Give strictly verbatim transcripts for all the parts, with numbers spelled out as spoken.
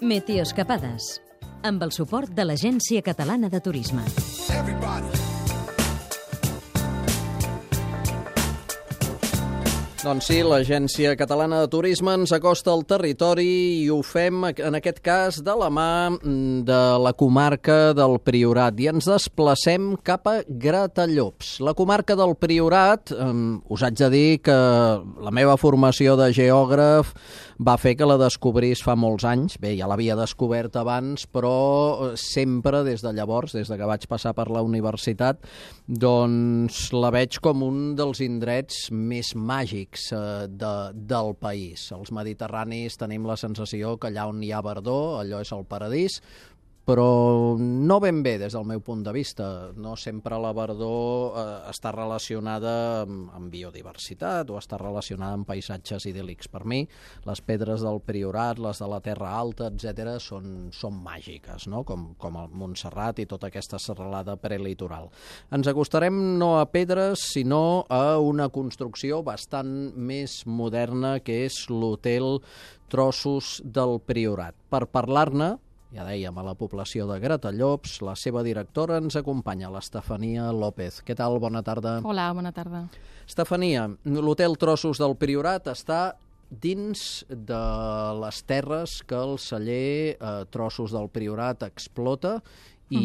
Meteoescapades, amb el suport de l'Agència Catalana de Turisme. Doncs sí, l'Agència Catalana de Turisme ens acosta al territori i ho fem, en aquest cas, de la mà de la comarca del Priorat. I ens desplacem cap a Gratallops. La comarca del Priorat, eh, us haig de dir que la meva formació de geògraf va fer que la descobrís fa molts anys. Bé, ja l'havia descobert abans, però sempre des de llavors, des de que vaig passar per la universitat, doncs la veig com un dels indrets més màgics De, del país. Els mediterranis tenim la sensació que allà on hi ha verdor, allò és el paradís, però no ben bé des del meu punt de vista. No sempre la verdor eh, està relacionada amb, amb biodiversitat o està relacionada amb paisatges idíl·lics. Per mi, les pedres del Priorat, les de la Terra Alta, etcètera, són, són màgiques, no? com, com el Montserrat i tota aquesta serralada prelitoral. Ens acostarem no a pedres, sinó a una construcció bastant més moderna, que és l'Hotel Trossos del Priorat. Per parlar-ne, ja dèiem, a la població de Gratallops, la seva directora ens acompanya, l'Estefania López. Què tal? Bona tarda. Hola, bona tarda. Estefania, l'Hotel Trossos del Priorat està dins de les terres que el celler eh, Trossos del Priorat explota i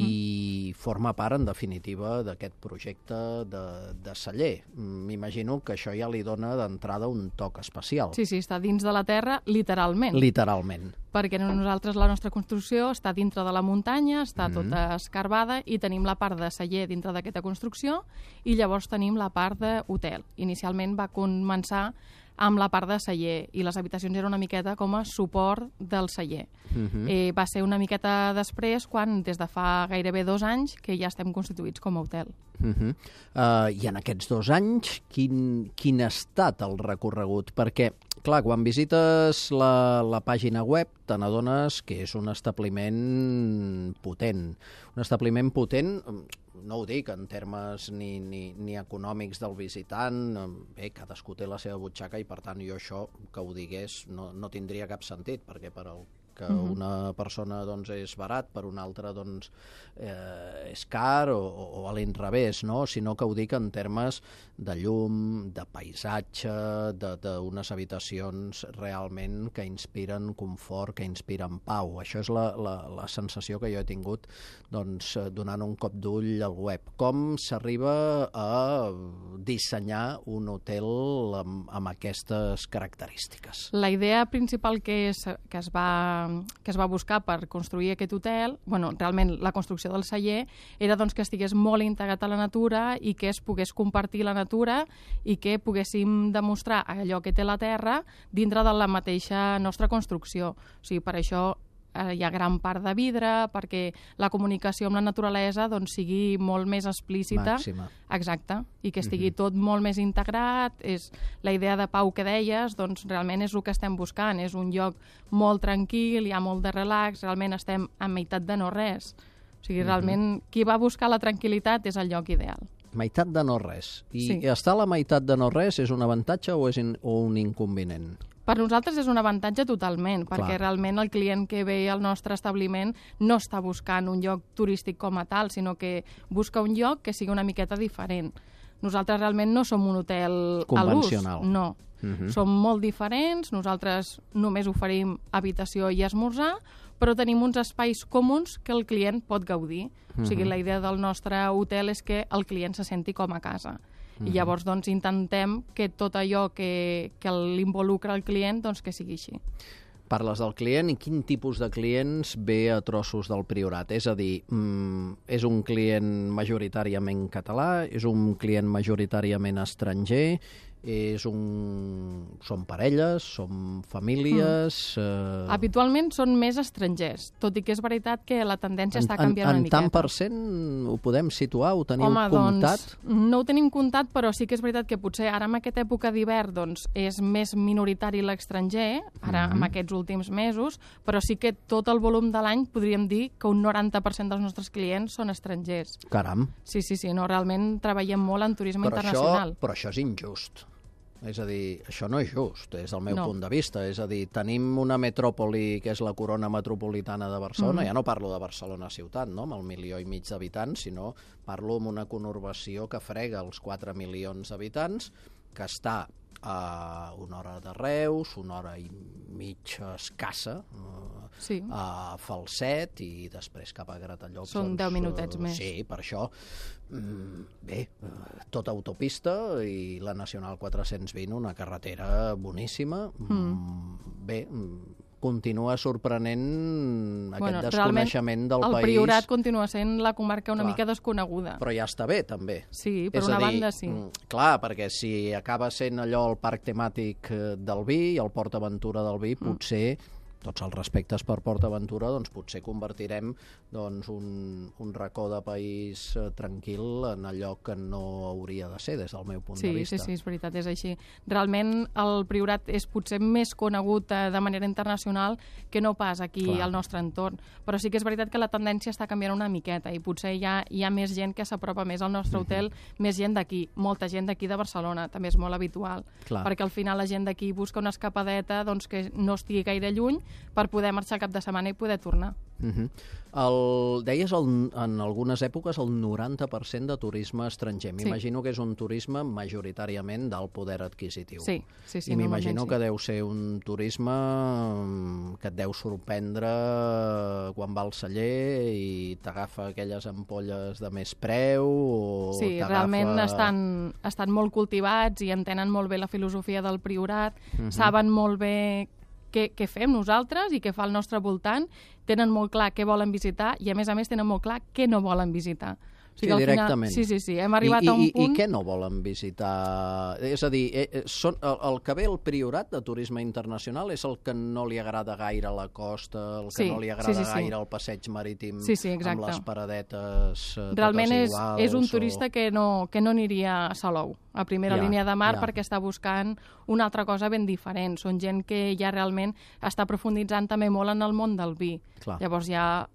uh-huh. forma part, en definitiva, d'aquest projecte de, de celler. M'imagino que això ja li dona d'entrada un toc especial. Sí, sí, està dins de la terra, literalment. Literalment. Perquè nosaltres, la nostra construcció està dintre de la muntanya, està Mm. tota escarbada, i tenim la part de celler dintre d'aquesta construcció, i llavors tenim la part d'hotel. Inicialment va començar amb la part de celler, i les habitacions eren una miqueta com a suport del celler. Uh-huh. Eh, va ser una miqueta després, quan des de fa gairebé dos anys que ja estem constituïts com a hotel. Uh-huh. Uh, I en aquests dos anys, quin, quin ha estat el recorregut? Perquè, clar, quan visites la, la pàgina web, te n'adones que és un establiment potent. Un establiment potent, no ho dic en termes ni, ni, ni econòmics del visitant, bé, cadascú té la seva butxaca i, per tant, jo això, que ho digués, no, no tindria cap sentit, perquè per al que uh-huh. una persona doncs, és barat, per una altra doncs, eh, és car o, o a l'inrevés, no? Sinó que ho dic en termes de llum, de paisatge, d'unes habitacions realment que inspiren confort, que inspiren pau. Això és la, la, la sensació que jo he tingut doncs, donant un cop d'ull al web. Com s'arriba a dissenyar un hotel amb, amb aquestes característiques? La idea principal que es, que es va que es va buscar per construir aquest hotel, bueno, realment la construcció del celler, era doncs, que estigués molt integrat a la natura i que es pogués compartir la natura i que poguéssim demostrar allò que té la terra dintre de la mateixa nostra construcció. O sigui, per això hi ha gran part de vidre, perquè la comunicació amb la naturalesa doncs, sigui molt més explícita. Màxima. Exacte, i que estigui uh-huh. tot molt més integrat. És la idea de pau que deies, doncs realment és el que estem buscant. És un lloc molt tranquil, hi ha molt de relax, realment estem a meitat de no res. O sigui, uh-huh. realment, qui va buscar la tranquil·litat és el lloc ideal. Meitat de no res. I sí. estar a la meitat de no res és un avantatge o és in, o un inconvenient? Per nosaltres és un avantatge totalment, perquè Clar. realment el client que ve al nostre establiment no està buscant un lloc turístic com a tal, sinó que busca un lloc que sigui una miqueta diferent. Nosaltres realment no som un hotel convencional. A l'ús, no. Uh-huh. Som molt diferents, nosaltres només oferim habitació i esmorzar, però tenim uns espais comuns que el client pot gaudir. Uh-huh. O sigui, la idea del nostre hotel és que el client se senti com a casa. Uh-huh. I llavors doncs, intentem que tot allò que, que l'involucra el client doncs, que sigui així. Parles del client i quin tipus de clients ve a Trossos del Priorat? És a dir, mm, és un client majoritàriament català, és un client majoritàriament estranger, és un... són parelles, són famílies... Mm. Eh... Habitualment són més estrangers, tot i que és veritat que la tendència en, està canviant en, una miqueta. En tant per cent ho podem situar? Ho teniu Home, comptat? Doncs, no ho tenim comptat, però sí que és veritat que potser ara en aquesta època d'hivern doncs, és més minoritari l'estranger, ara Mm-hmm. en aquests últims mesos, però sí que tot el volum de l'any podríem dir que un noranta per cent dels nostres clients són estrangers. Caram. Sí, sí, sí, no, realment treballem molt en turisme Però internacional. Això, però això és injust. És a dir, això no és just, des del meu No. punt de vista. És a dir, tenim una metròpoli que és la corona metropolitana de Barcelona, Mm. ja no parlo de Barcelona ciutat, no?, amb el milió i mig d'habitants, sinó parlo amb una conurbació que frega els quatre milions d'habitants, que està a una hora de Reus, una hora i mitja escassa, eh, Sí. a Falset i després cap a Gratallops. Són doncs, deu minutets eh, més. Sí, per això. Mm, bé, eh, tota autopista i la Nacional quatre-cents vint, una carretera boníssima. Mm. Bé, mm, continua sorprenent aquest Bueno, desconeixement del el país. Priorat continua sent la comarca una Clar. mica desconeguda. Però ja està bé, també. Sí, per És una a dir, banda sí. mm, clar, perquè si acaba sent allò el parc temàtic eh, del vi i el Port Aventura del vi, potser, tots els respectes per Port Aventura, doncs potser convertirem doncs, un, un racó de país eh, tranquil en allò que no hauria de ser, des del meu punt Sí, de vista. sí, sí, és veritat, és així. Realment el Priorat és potser més conegut eh, de manera internacional que no pas aquí Clar. al nostre entorn, però sí que és veritat que la tendència està canviant una miqueta i potser hi ha, hi ha més gent que s'apropa més al nostre hotel, més gent d'aquí, molta gent d'aquí de Barcelona, també és molt habitual, Clar. perquè al final la gent d'aquí busca una escapadeta doncs, que no estigui gaire lluny per poder marxar al cap de setmana i poder tornar. Uh -huh. el, deies el, en algunes èpoques el noranta per cent de turisme estranger. M'imagino que és un turisme majoritàriament del poder adquisitiu. Sí, sí, sí. I m'imagino normalment que deu ser un turisme mm, que et deu sorprendre quan va al celler i t'agafa aquelles ampolles de més preu o Sí, t'agafa... realment estan, estan molt cultivats i entenen molt bé la filosofia del Priorat, Mhm. saben molt bé què, què fem nosaltres i què fa al nostre voltant, tenen molt clar què volen visitar i, a més a més, tenen molt clar què no volen visitar. O Sí, al final- directament. Sí, sí, sí, hem arribat I, a un i, punt... I què no volen visitar? És a dir, eh, eh, són, el, el que ve el Priorat de turisme internacional és el que no li agrada gaire la costa, el que Sí, no li sí, agrada sí, sí. gaire el passeig marítim Sí, sí, amb exacte. les paradetes eh, Realment totes és, iguals. és un o- turista que no, que no aniria a Salou, a primera Ja, línia de mar, ja. perquè està buscant una altra cosa ben diferent. Són gent que ja realment està profunditzant també molt en el món del vi. Clar. Llavors ja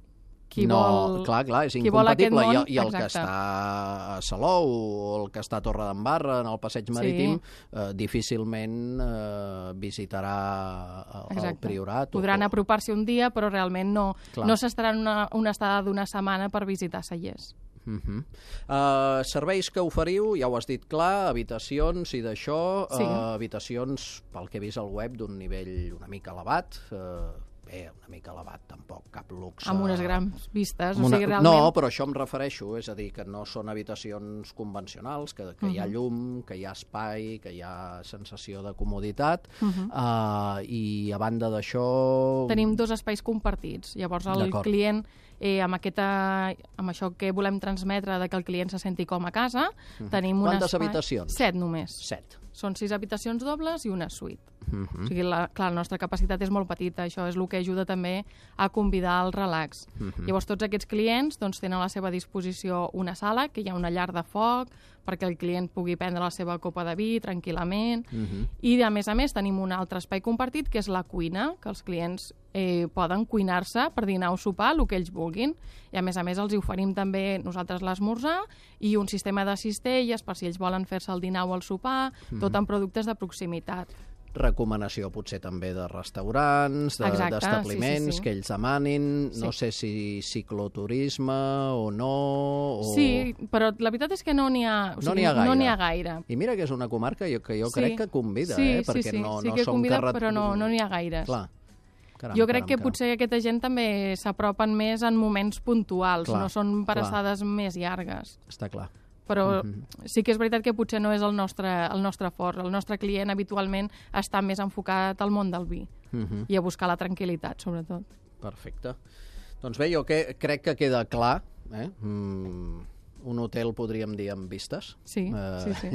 qui no, vol... clar, clar, és qui vol aquest incompatible. I, món, el- I el que exacte. està a Salou o el que està a Torredembarra, en el passeig marítim, eh, difícilment eh, visitarà el, el Exacte. Priorat. Podran o, apropar-s'hi un dia, però realment no, Clar. no s'estaran una, una estada d'una setmana per visitar Cellers. Uh -huh. uh, serveis que oferiu, ja ho has dit clar, habitacions i d'això, Sí. uh, habitacions, pel que he vist al web, d'un nivell una mica elevat, uh, bé, una mica elevat, tampoc cap luxe. Amb unes grans vistes. Amb O una... sigui, realment... No, però això em refereixo, és a dir, que no són habitacions convencionals, que, que hi ha llum, que hi ha espai, que hi ha sensació de comoditat, uh, i a banda d'això... Tenim dos espais compartits. Llavors el D'acord. client, eh, amb, aquesta, amb això que volem transmetre de que el client se senti com a casa, tenim un Quantes espai... habitacions? Set només. Set. Són sis habitacions dobles i una suite. Uh -huh. O sigui, la, clar, la nostra capacitat és molt petita, això és el que ajuda també a convidar al relax. Llavors, tots aquests clients doncs, tenen a la seva disposició una sala, que hi ha una llar de foc, perquè el client pugui prendre la seva copa de vi tranquil·lament, i a més a més tenim un altre espai compartit, que és la cuina, que els clients eh, poden cuinar-se per dinar o sopar, el que ells vulguin, i a més a més els hi oferim també nosaltres l'esmorzar i un sistema de cistelles per si ells volen fer-se el dinar o el sopar, tot amb productes de proximitat. Recomanació potser també de restaurants, de- Exacte, d'establiments sí, sí, sí. que ells demanin, no Sí. sé si cicloturisme o no... O... Sí, però la veritat és que no n'hi ha, o No sigui, n'hi ha gaire. No n'hi ha gaire. I mira que és una comarca jo, que jo Sí. crec que convida, sí, eh? Perquè sí, sí, no, sí no que som convida, carret... però no, no n'hi ha gaires. Clar. Caram, jo crec caram, que caram. potser aquesta gent també s'apropen més en moments puntuals, Clar, no són per clar. estades més llargues. Està clar. Però sí que és veritat que potser no és el nostre, el nostre fort. El nostre client habitualment està més enfocat al món del vi Mhm. i a buscar la tranquil·litat, sobretot. Perfecte. Doncs bé, jo que, crec que queda clar, eh? Mm, un hotel, podríem dir, amb vistes. Sí, sí, sí.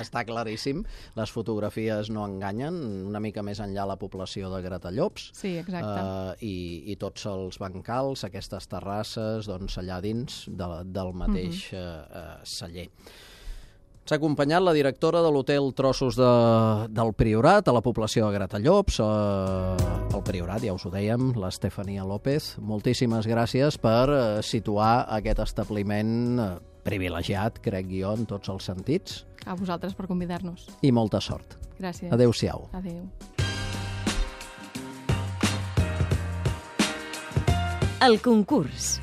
Està claríssim. Les fotografies no enganyen, una mica més enllà la població de Gratallops. Sí, exacte. Uh, i, i tots els bancals, aquestes terrasses, doncs allà dins de, del mateix uh -huh. uh, celler. S'ha acompanyat la directora de l'hotel Trossos de, del Priorat, a la població de Gratallops, eh, el Priorat, ja us ho dèiem, l'Estefania López. Moltíssimes gràcies per eh, situar aquest establiment eh, privilegiat, crec jo, en tots els sentits. A vosaltres per convidar-nos. I molta sort. Gràcies. Adéu-siau. Adéu. El concurs.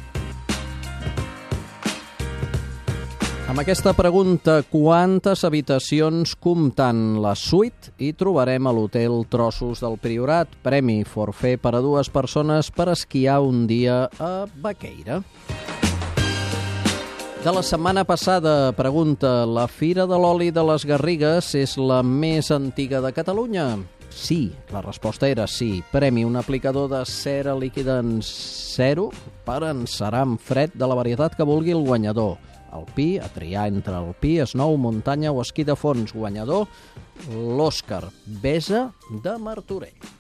Amb aquesta pregunta, quantes habitacions comptant la suite hi trobarem a l'hotel Trossos del Priorat? Premi forfait per a dues persones per esquiar un dia a Baqueira. De la setmana passada, pregunta, la Fira de l'Oli de les Garrigues és la més antiga de Catalunya? Sí, la resposta era sí. Premi, un aplicador de cera líquida en zero per encerar amb fred de la varietat que vulgui el guanyador. Alpí, a triar entre alpí, snow, muntanya o esquí de fons. Guanyador, l'Òscar Besa de Martorell.